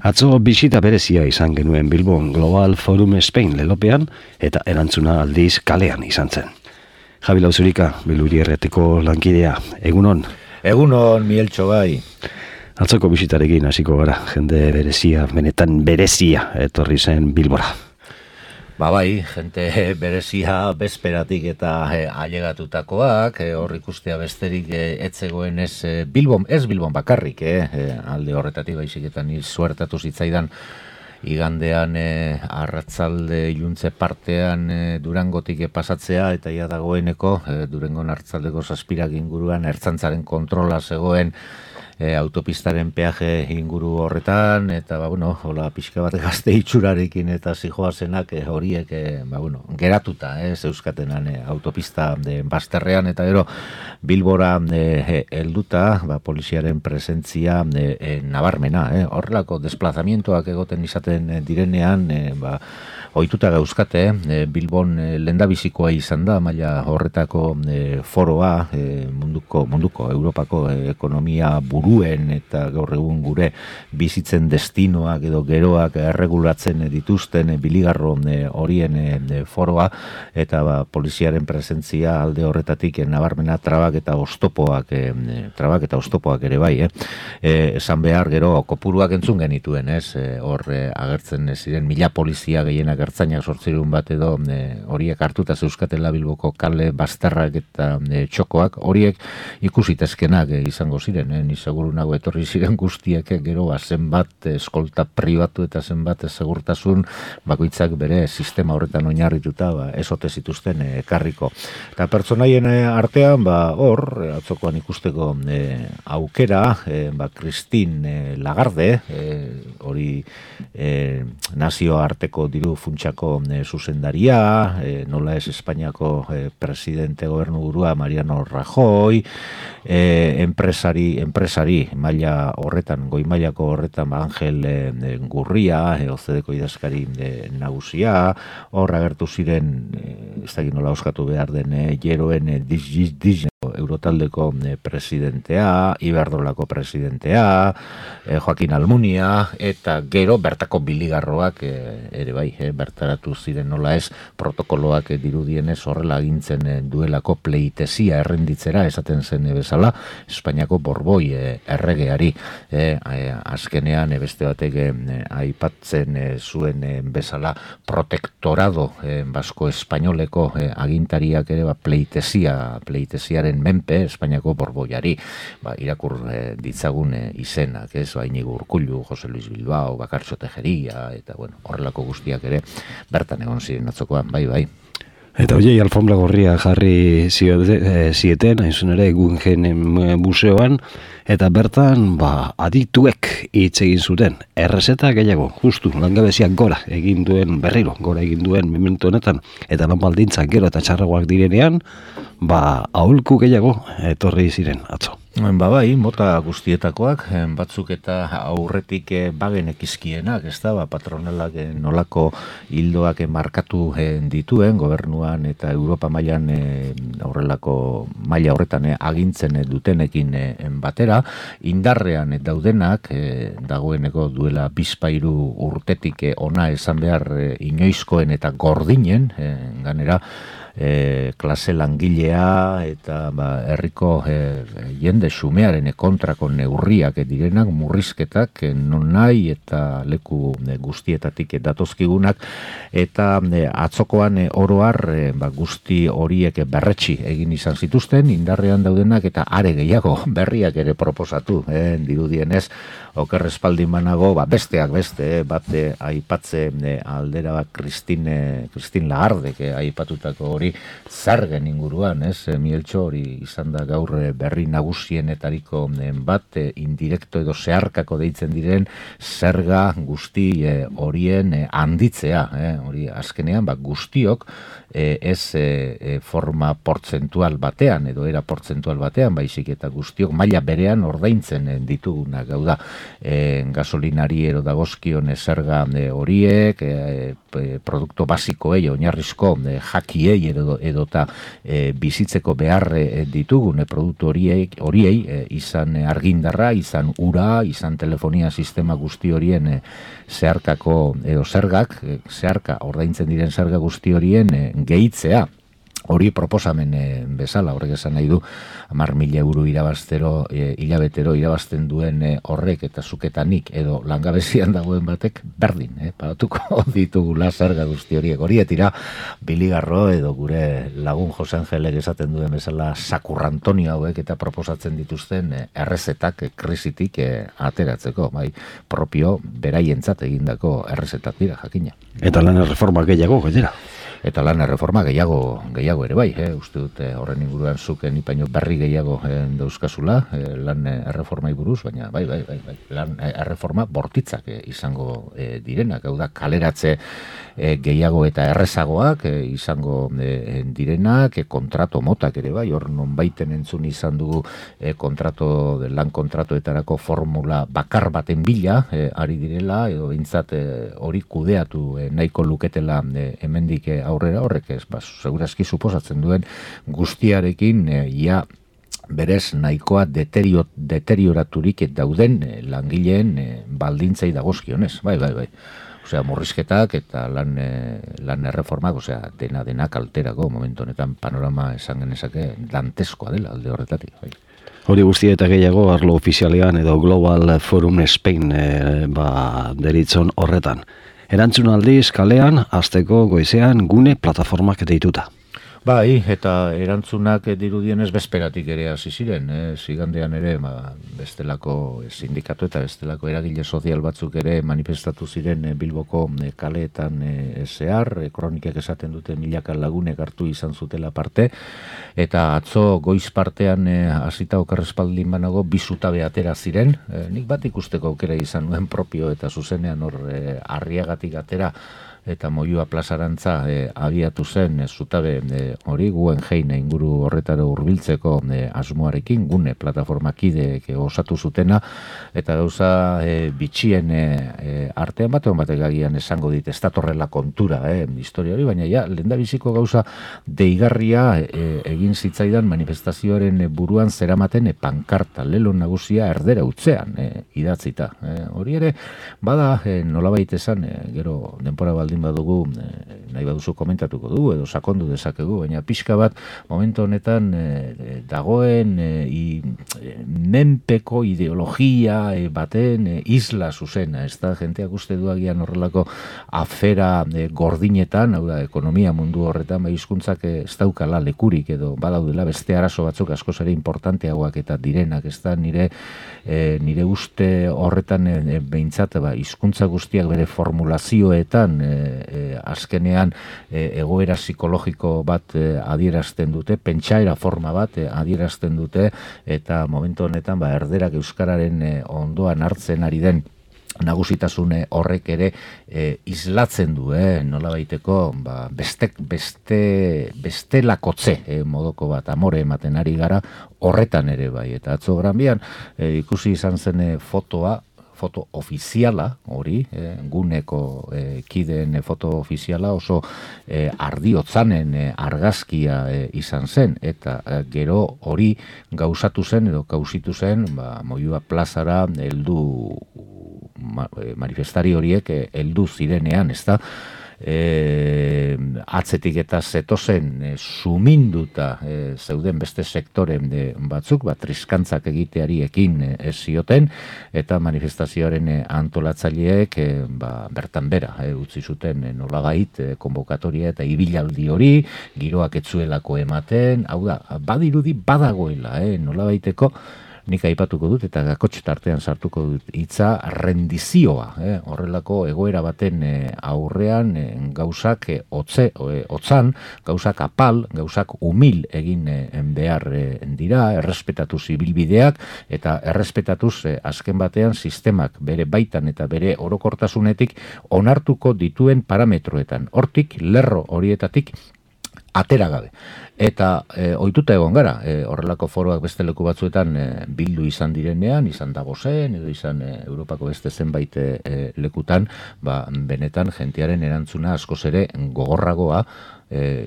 Atzo bisita berezia izan genuen Bilbon Global Forum Spain lelopean eta erantzuna aldiz kalean izan zen. Javi Lauzurika, Biluri Erretiko lankidea, egunon? Egunon, Mieltxo bai. Atzoko bisitarekin hasiko gara, jende berezia, benetan berezia etorri zen Bilbora. Bai, jente berezia bezperatik eta ailegatutakoak, hor ikustea besterik etzegoen Bilbon bakarrik, alde horretatik baiziketan suertatu zitzaidan igandean arratzalde iluntze partean Durangotik pasatzea eta ia dagoeneko Durangon arratzaldeko 7 inguruan ertzaintzaren kontrola zegoen autopistaren peaje inguru horretan, eta hola pixka bat gazte itxurarekin eta zijoazenak horiek geratuta zeuskatenan autopista bazterrean, eta gero Bilbora helduta poliziaren presentzia nabarmena, horrelako desplazamientoak egoten izaten direnean, ohituta gauzkate, Bilbon lehendabizikoa izan da, maila horretako foroa, munduko, Europako ekonomia buruen eta gaur egun gure bizitzen destinoak edo geroak erregulatzen dituzten biligarro horien foroa, eta poliziaren presentzia alde horretatik nabarmena trabak eta oztopoak ere bai, esan behar gero kopuruak entzun genituen, hor agertzen ziren 1000 polizia gehienak ertzainak 800 bat edo horiek hartuta zeuskatela Bilboko kale bazterrak eta txokoak, horiek ikusitezkenak izango ziren, ni seguru nago etorri ziren guztiek gero zenbat eskolta pribatu eta zenbat segurtasun bakoitzak bere sistema horretan oinarrituta ez ote zituzten ekarriko. Eta pertsonaien artean hor atzokoan ikusteko aukera Christine Lagarde, hori nazioarteko diru funtsako zuzendaria, nola ez Espainiako presidente gobernuburua Mariano Rajoy, enpresari maila horretan, goi mailako horretan Angel Gurria, OCDeko idazkari nagusia, hor agertu ziren, ez dakit nola oskatu behar den, Jeroen Eurotaldeko presidentea, Iberdrolako presidentea, Joaquin Almunia, eta gero bertako biligarroak ere bai, bertaratu ziren nola ez, protokoloak dirudienez horrela agintzen duelako pleitezia errenditzera, esaten zen bezala, Espainiako Borboi erregeari. Azkenean beste batek aipatzen zuen bezala protektorado basko espainoleko agintariak ere pleiteziaren menpe Espainiako Borboiari irakur ditzagun izenak, Iñigo Urkullu, Jose Luis Bilbao, Bakartxo Tejeria, eta horrelako guztiak ere bertan egon ziren atzokoan, bai. Eta hoiei alfombra gorria jarri zieten, hain ere Guggenheim museoan, eta bertan adituek hitz egin zuten, errezeta gehiago, justu, langabeziak gora egin duen momentu honetan, eta lan baldintzak gero eta txarragoak direnean, aholku gehiago etorri ziren atzo. Bai, mota guztietakoak, batzuk eta aurretik bagenekizkienak, ez da, patronalak nolako hildoak markatu dituen, gobernuan eta Europa mailan horrelako maila horretan agintzen dutenekin batera, indarrean daudenak, dagoeneko duela 2 urtetik ona esan behar inoizkoen eta gordinen, ganera, klase langilea eta herriko jende xumearen kontrako neurriak direnak, murrizketak non nahi eta leku guztietatik datozkigunak, eta atzokoan oroar guzti horiek berretsi egin izan zituzten, indarrean daudenak eta are gehiago berriak ere proposatu, dirudienez oker espaldin banago, besteak beste, bate aipatzen aldera Christine Lagarde, aipatutako hori zergen inguruan, Mieltxo, hori izan da gaur berri nagusienetariko bat, indirekto edo zeharkako deitzen diren zerga guzti horien handitzea, hori azkenean guztiok ez forma portzentual batean edo era portzentual batean, baizik eta guztiok maila berean ordaintzen ditugunak, gau da, gasolinari ero dagozkion zerga horiek, produktu basikoei, oinarrizko jakiei edota bizitzeko behar ditugune produktu horiei izan argindarra, izan ura, izan telefonia sistema guzti horien zeharkako edo zergak, zeharka ordaintzen diren zerga guzti horien gehitzea. Hori proposamen bezala, horrek esan nahi du, 10.000 euro irabaztero, hilabetero irabazten duen horrek eta zuketanik edo langabezian dagoen batek berdin, pagatuko ditugula zerga guzti horiek. Horietira, Biligarro edo gure lagun Jose Angelek esaten duen bezala sakurrantonio hauek eta proposatzen dituzten errezetak krisitik ateratzeko, bai, propio beraientzat egindako errezetak dira, jakina. Eta lan erreforma gehiago, gainera. Eta lan erreforma gehiago ere bai, uste dut horren inguruan zuken ipaino berri gehiago dauzkazula, lan erreformai buruz, baina bai, lan erreforma bortitzak izango direnak, hau da kaleratze gehiago eta errezagoak izango direnak, kontrato motak ere bai, hor non baiten entzun izan dugu lan kontratoetarako formula bakar baten bila ari direla, edo bintzat hori kudeatu nahiko luketela hemendik aurrera horrek ez, segurazki suposatzen duen guztiarekin ia berez nahikoa deterioraturik dauden langileen baldintzai dagozkionez, bai. Osea, murrizketak eta lan erreformak, osea, dena kalterako momentu honetan panorama esan genezake danteskoa dela alde horretatik, bai. Hori guztia eta gehiago arlo ofizialean edo Global Forum Spain deritzon horretan. Erantzun aldiz kalean, asteko goizean gune plataformak deituta. Bai, eta erantzunak dirudienez bezperatik ere hasi ziren, zigandean ere bestelako sindikatu eta bestelako eragile sozial batzuk ere manifestatu ziren Bilboko kaleetan zehar, kronikek esaten dute milaka lagunek hartu izan zutela parte, eta atzo goiz partean hasita okerrespaldin banago bi zutabe atera ziren, nik bat ikusteko aukera izan nuen propio eta zuzenean hor Arriagatik atera eta Moyua plazarantza abiatu zen zutabe hori Guggenheim inguru horretara hurbiltzeko asmoarekin gune plataformakideek osatu zutena eta gauza bitxien artean batek agian esango dit ez datorrela kontura historia hori, baina ja lehendabiziko gauza deigarria egin zitzaidan manifestazioaren buruan zeramaten pankarta lelo nagusia erdera utzean idatzita. Hori ere bada nolabait esan gero denbora baldin badugu nahi baduzu komentatuko dugu edo sakondu dezakegu, baina pixka bat momentu honetan dagoen menpeko ideologia baten isla zuzena, ez da jenteak uste duagian horrelako afera gordinetan, hau da ekonomia mundu horretan, hizkuntzak ez daukala lekurik edo badaudela beste arazo batzuk askoz ere importanteagoak eta direnak, ez da nire uste horretan behintzat hizkuntza guztiak bere formulazioetan azkenean egoera psikologiko bat adierazten dute, pentsaera forma bat adierazten dute eta momentu honetan erderak euskararen ondoan hartzen ari den nagusitasun horrek ere islatzen du, nolabaiteko bestelakotze modoko bat amore ematen ari gara horretan ere bai, eta atzo Granbian ikusi izan zen foto ofiziala hori, guneko kideen foto ofiziala oso ardiotzanen argazkia izan zen, eta gero hori gauzatu zen edo kausitu zen Moyua plazara heldu manifestari horiek heldu zirenean, ez da? Atzetik eta zetozen suminduta zeuden beste sektoren batzuk, triskantzak egiteari ekin ez zioten, eta manifestazioaren antolatzaileek bertan bera utzi zuten nolabait konbokatoria eta ibilaldi hori, giroak etzuelako ematen, hau da, badirudi badagoela, nolabaiteko nik aipatuko dut eta gakotx tartean sartuko dut hitza rendizioa, horrelako egoera baten aurrean gauzak otzan, gauzak apal, gauzak umil egin behar dira, errespetatuz ibilbideak eta errespetatuz azken batean sistemak bere baitan eta bere orokortasunetik onartuko dituen parametroetan. Hortik, lerro horietatik atera gabe. Eta ohituta egon gara, horrelako foroak beste leku batzuetan bildu izan direnean, izan Davosen edo izan Europako beste zenbait lekutan, benetan jentearen erantzuna askoz ere gogorragoa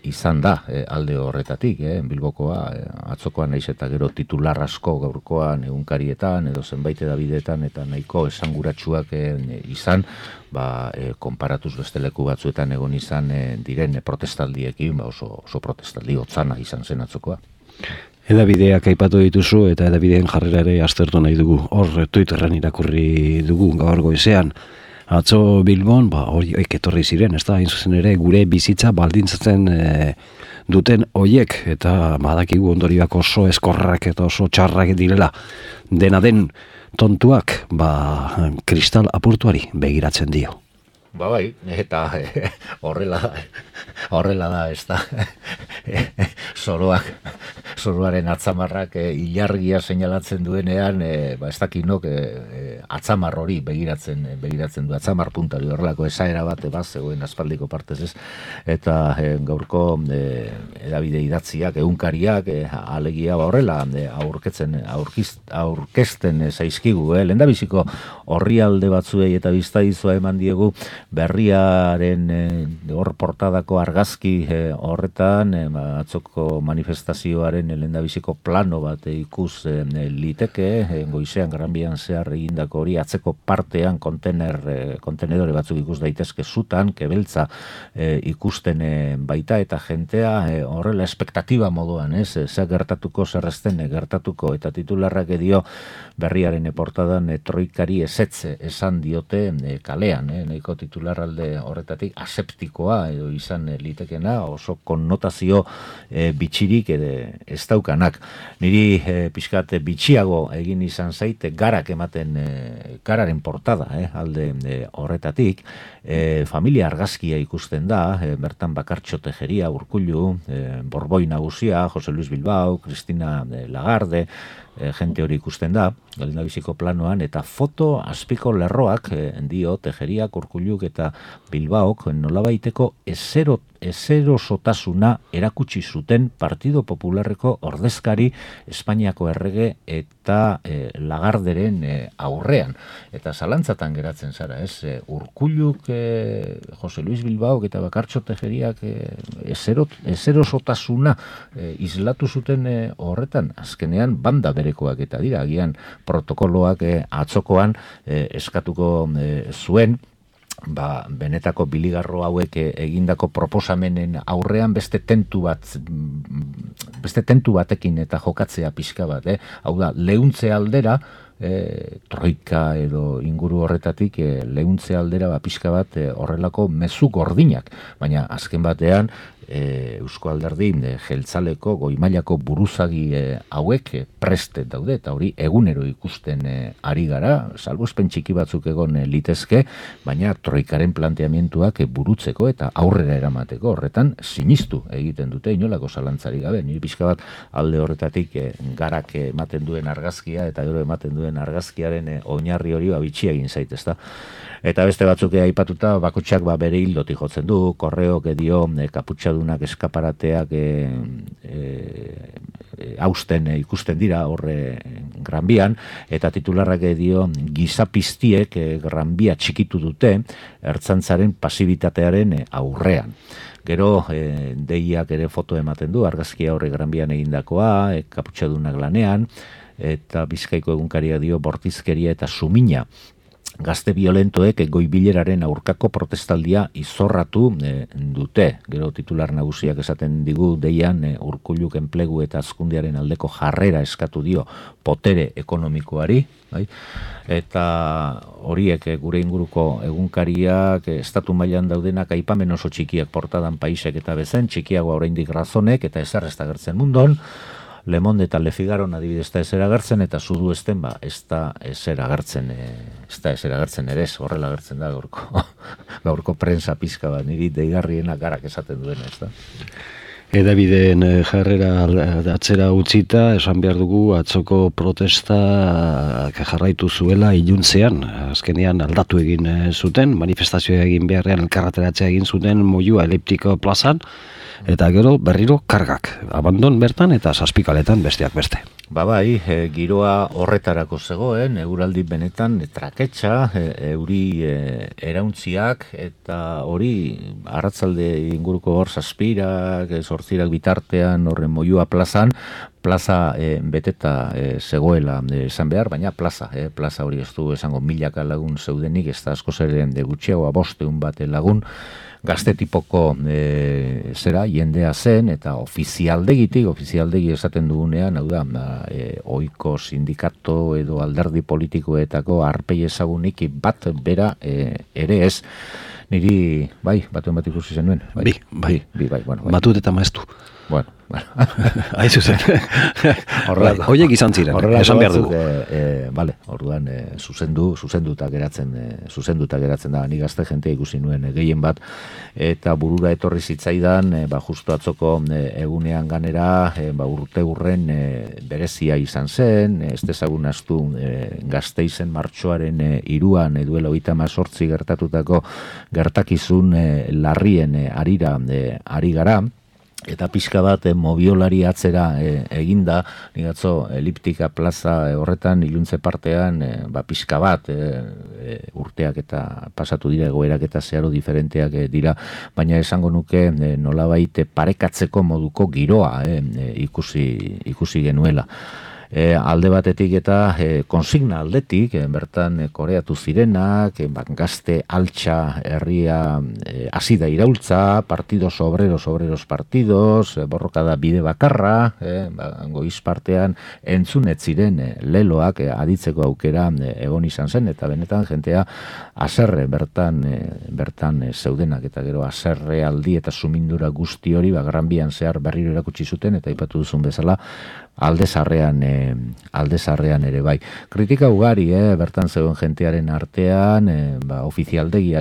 izan da alde horretatik, Bilbokoa, atzokoan naiz eta gero titular asko gaurkoan egunkarietan edo zenbait edabideetan eta nahiko esanguratsuak izan, konparatuz beste leku batzuetan egon izan diren protestaldiekin, oso protestaldi hotzana izan zen atzokoa. Edabideak aipatu dituzu eta edabideen jarrera ere aztertu nahi dugu. Hor Twitterren irakurri dugu gaur goizean. Atzo Bilbon, horiek etorri ziren, ez da, hain zuzen ere, gure bizitza baldintzatzen duten hoiek, eta badakigu ondorioak oso eskorrak eta oso txarrak direla. Dena den tontuak, kristal apurtuari begiratzen dio. Bai, eta horrela da, ez da, zoroaren atzamarrak ilargia seinalatzen duenean, ez dakinok atzamar hori begiratzen du, atzamar puntari horrelako esaera bat, zegoen aspaldiko partez ez, eta gaurko edabide idatziak, egunkariak, alegia horrela aurkezten zaizkigu, lehendabiziko orrialde batzuei eta biztaizua eman diegu, berriaren hor portadako argazki horretan atzoko manifestazioaren lehendabiziko plano bat ikus liteke, goizean Granbian zehar egindako hori atzeko partean kontenedore batzuk ikus daitezke zutan, kebeltza ikusten baita eta jentea horrela espektatiba moduan, zer gertatuko, zer ezten gertatuko, eta titularrak dio berriaren portadan troikari ezetze esan diote kalean, nahiko titularralde horretatik aseptikoa edo izan litekena, oso konnotazio bitxirik ez daukanak. Niri pixkat bitxiago egin izan zaite garak ematen gararen portada alde horretatik, familia argazkia ikusten da, bertan Bakartxo Tejeria, Urkullu, Borboi nagusia, Jose Luis Bilbao, Cristina Lagarde, jente hori ikusten da, lehendabiziko planoan, eta foto azpiko lerroak dio Tejeriak, Urkulluk eta Bilbaok nolabaiteko ezerosotasuna erakutsi zuten Partido Popularreko ordezkari Espainiako errege eta Lagarderen aurrean. Eta zalantzatan geratzen zara, Urkulluk, Jose Luis Bilbaok eta Bakartxo Tejeriak ezerosotasuna islatu zuten horretan, azkenean banda berekoak eta dira, agian protokoloak atzokoan eskatuko zuen, benetako biligarro hauek egindako proposamenen aurrean beste tentu batekin eta jokatzea pixka bat, hau da, leuntze aldera, troika edo inguru horretatik leuntze aldera pixka bat horrelako mezu gordinak, baina azken batean Eusko Alderdi jeltzaleko goimailako buruzagi hauek preste daude eta hori egunero ikusten ari gara, salbuespen txiki batzuk egon litezke, baina troikaren planteamientuak burutzeko eta aurrera eramateko horretan sinistu egiten dute inolako zalantzari gabe. Nire pixka bat alde horretatik garak ematen duen argazkia eta gero ematen duen argazkiaren oinarri hori bitxia egin zaitezta. Eta beste batzuk aipatuta bakotxak bere hildotik jotzen du, korreok dio kaputxadunak eskaparateak hausten ikusten dira horre Granbian, eta titularrak dio gizapiztiek Granbia txikitu dute ertzantzaren pasibitatearen aurrean. Gero deiak ere foto ematen du, argazkia horre Granbian egindakoa, kaputxadunak lanean, eta Bizkaiko egunkaria dio bortizkeria eta sumina. Gazte violentoek goibileraren aurkako protestaldia izorratu dute. Gero titular nagusiak esaten digu deian Urkulluk enplegu eta hazkundearen aldeko jarrera eskatu dio potere ekonomikoari. Eta horiek gure inguruko egunkariak estatu mailan daudenak aipamen oso txikiak portadan paisek eta bezen, txikiagoa oraindik razonek eta ezer ez da gertzen mundon. Le Monde eta Le Figaro adibidez ez da agertzen eta Zudu esten ez da ezer agertzen ere, horrela agertzen da gaurko prensa pizka bat, niri deigarriena garak esaten duen, ez da. Edabideen jarrera atzera utzita, esan behar dugu atzoko protesta jarraitu zuela iluntzean, azkenean aldatu egin zuten, manifestazioa egin beharrean elkarrateratzea egin zuten Moyua Eliptiko plazan, eta gero berriro kargak, abandon bertan eta zazpikaletan besteak beste. Bai, giroa horretarako zegoen, eguraldi benetan traketxa, euri erauntziak, eta hori arratzalde inguruko hor zazpirak, zortzirak bitartean horren moiua plaza beteta zegoela esan behar, baina plaza hori ez du esango milaka lagun zeudenik, ez da asko zeren de gutxiagoa 500 bat lagun, gazte tipoko jendea zen, eta ofizialdegi esaten dugunean, hau da, ohiko sindikato edo alderdi politikoetako arpei ezagunik bat bera ere ez. Niri, batuen bat ikusi zenuen. Bai. Bueno, Matut eta maeztu. Bueno. Aizu zen. Hoiek izan ziren, esan behar dugu. Orduan zuzenduta geratzen da, ni gazte jentea ikusi nuen gehien bat, eta burura etorri zitzaidan, justu atzoko egunean ganera, urte hurren berezia izan zen, ez dezagun astu Gasteizen martxoaren 3 duela 38 gertatutako gertakizun larrien ari gara, eta pixka bat mobiolari atzera eginda, nigatzo eliptika plaza horretan iluntze partean pixka bat urteak eta pasatu dira, egoerak eta zeharo diferenteak dira, baina esango nuke nolabait parekatzeko moduko giroa ikusi genuela. Alde batetik eta konsigna aldetik, bertan koreatu zirenak, gazte altxa herria hasi da iraultza, partidos obreros partidos, borrokada bide bakarra, goiz partean entzunet ziren leloak aditzeko aukera egon izan zen, eta benetan jentea haserre bertan zeudenak, eta gero haserre aldi eta sumindura guzti hori Gran Bian zehar berriro erakutsi zuten, eta aipatu duzun bezala alde zarrean ere bai. Kritika ugari, bertan zegoen jentearen artean, ofizialdegi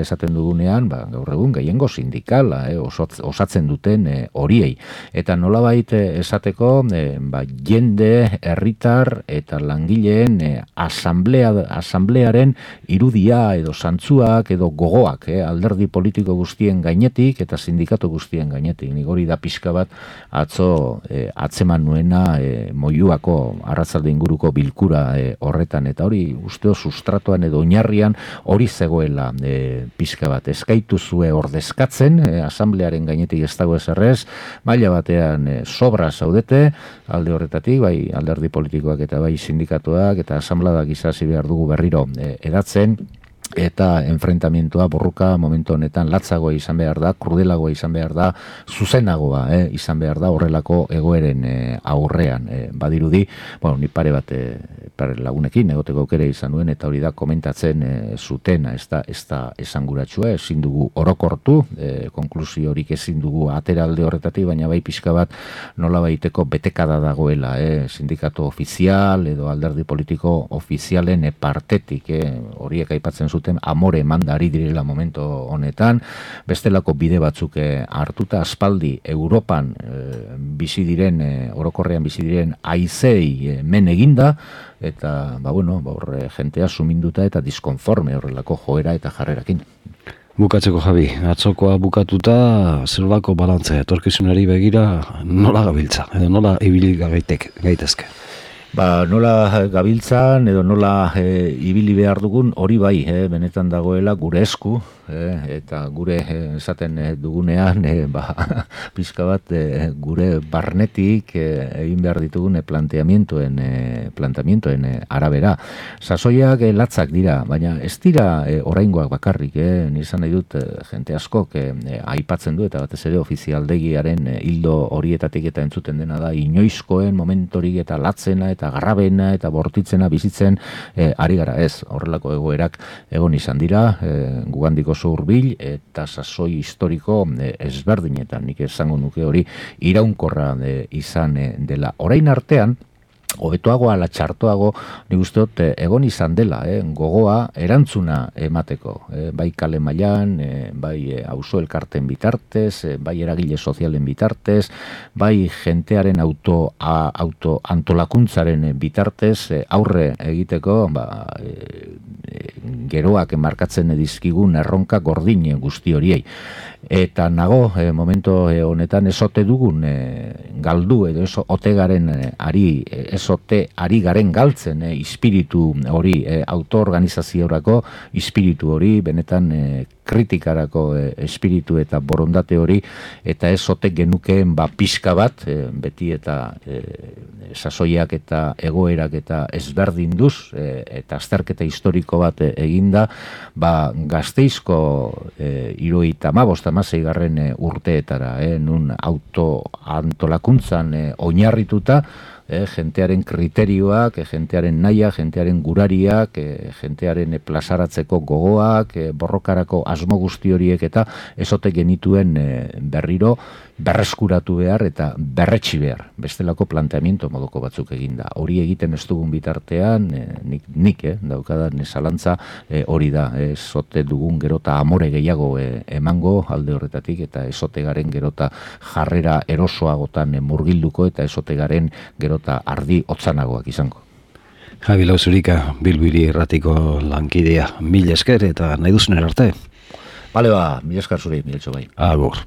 esaten dugunean, gaur egun gehiengo sindikala, osatzen duten horiei. Eta nolabait esateko, jende, herritar eta langileen asamblearen irudia edo zantzuak edo gogoak, alderdi politiko guztien gainetik eta sindikatu guztien gainetik. Nik hori da pixka bat atzo atzeman nuena moiuako arratzalde inguruko bilkura horretan, eta hori usteo sustratuan edo oinarrian hori zegoela pixka bat. Eskaitu zue ordezkatzen, asamblearen gainetik ez dago ezerrez, maila batean sobra zaudete, alde horretatik, bai alderdi politikoak eta bai sindikatuak eta asamladak izasi behar dugu berriro eratzen, eta enfrentamientoa borruka momentu honetan latzagoa izan behar da, krudelagoa izan behar da, zuzenagoa izan behar da horrelako egoeren aurrean. Badirudi, ni pare bat lagunekin egoteko aukera izan nuen, eta hori da komentatzen zutena, ez da esanguratsua, ezin dugu orokortu, konklusio horik ezin dugu atera alde horretatik, baina bai pixka bat nola baiteko betekada dagoela, sindikatu ofizial edo alderdi politiko ofizialen partetik, horiek aipatzen zuten amore mandari direla momento honetan, bestelako bide batzuk hartuta, aspaldi Europan bizi diren, orokorrean bizi diren haizei men eginda, eta jentea suminduta eta diskonforme horrelako joera eta jarrerakin. Bukatzeko, Javi, atzokoa bukatuta, zelbako balantzea, etorkizunari begira nola gabiltza, edo nola ibili gaitezke? Nola gabiltzan edo nola ibili behar dugun hori bai, benetan dagoela gure esku, eta gure esaten dugunean pizka bat gure barnetik egin behar ditugun planteamientoen arabera. Sasoiak latzak dira, baina ez dira oraingoak bakarrik, nizan nahi dut jente askok aipatzen du, eta batez ere ofizialdegiaren hildo horietatik eta entzuten dena da inoizkoen momentorik eta latzena eta garrabena eta bortitzena bizitzen ari gara, ez, horrelako egoerak egon izan dira, gugandik oso hurbil eta sasoi historiko ezberdinetan, nik esango nuke hori iraunkorra izan dela. Orain artean, hobetoago ala txartoago, nik uste dut egon izan dela, gogoa erantzuna emateko, bai kale mailan, bai auzo elkarten bitartez, bai eragile sozialen bitartez, bai jentearen antolakuntzaren bitartez, aurre egiteko geroak markatzen dizkigun erronka gordin guzti horiei. Eta nago, momento honetan esote dugun galdu edo esote ari garen galtzen ispiritu hori, autoorganizaziorako ispiritu hori, benetan kritikarako espiritu eta borondate hori, eta esote genukeen pixka bat, beti eta sasoiak eta egoerak eta ezberdinduz, eta azterketa historiko bat eginda, Gasteizko 75 urteetara, nun autoantolakuntzan oinarrituta, jentearen kriterioak, jentearen naia, jentearen gurariak, jentearen plazaratzeko gogoak, borrokarako asmo guzti horiek eta esote genituen berriro berreskuratu behar eta berretsi behar. Bestelako planteamiento moduko batzuk eginda. Hori egiten ez dugun bitartean, nik daukadan zalantza hori da. Esote dugun gerota amore gehiago emango alde horretatik eta esote garen gerota jarrera erosoagotan murgilduko eta esote garen gerota ardi hotzanagoak izango. Javi Lauzurika, Bilbo Hiri Irratiko lankidea, mil esker eta nahi duzuner arte. Bale mil esker zuri, mil etxo bai. Agur.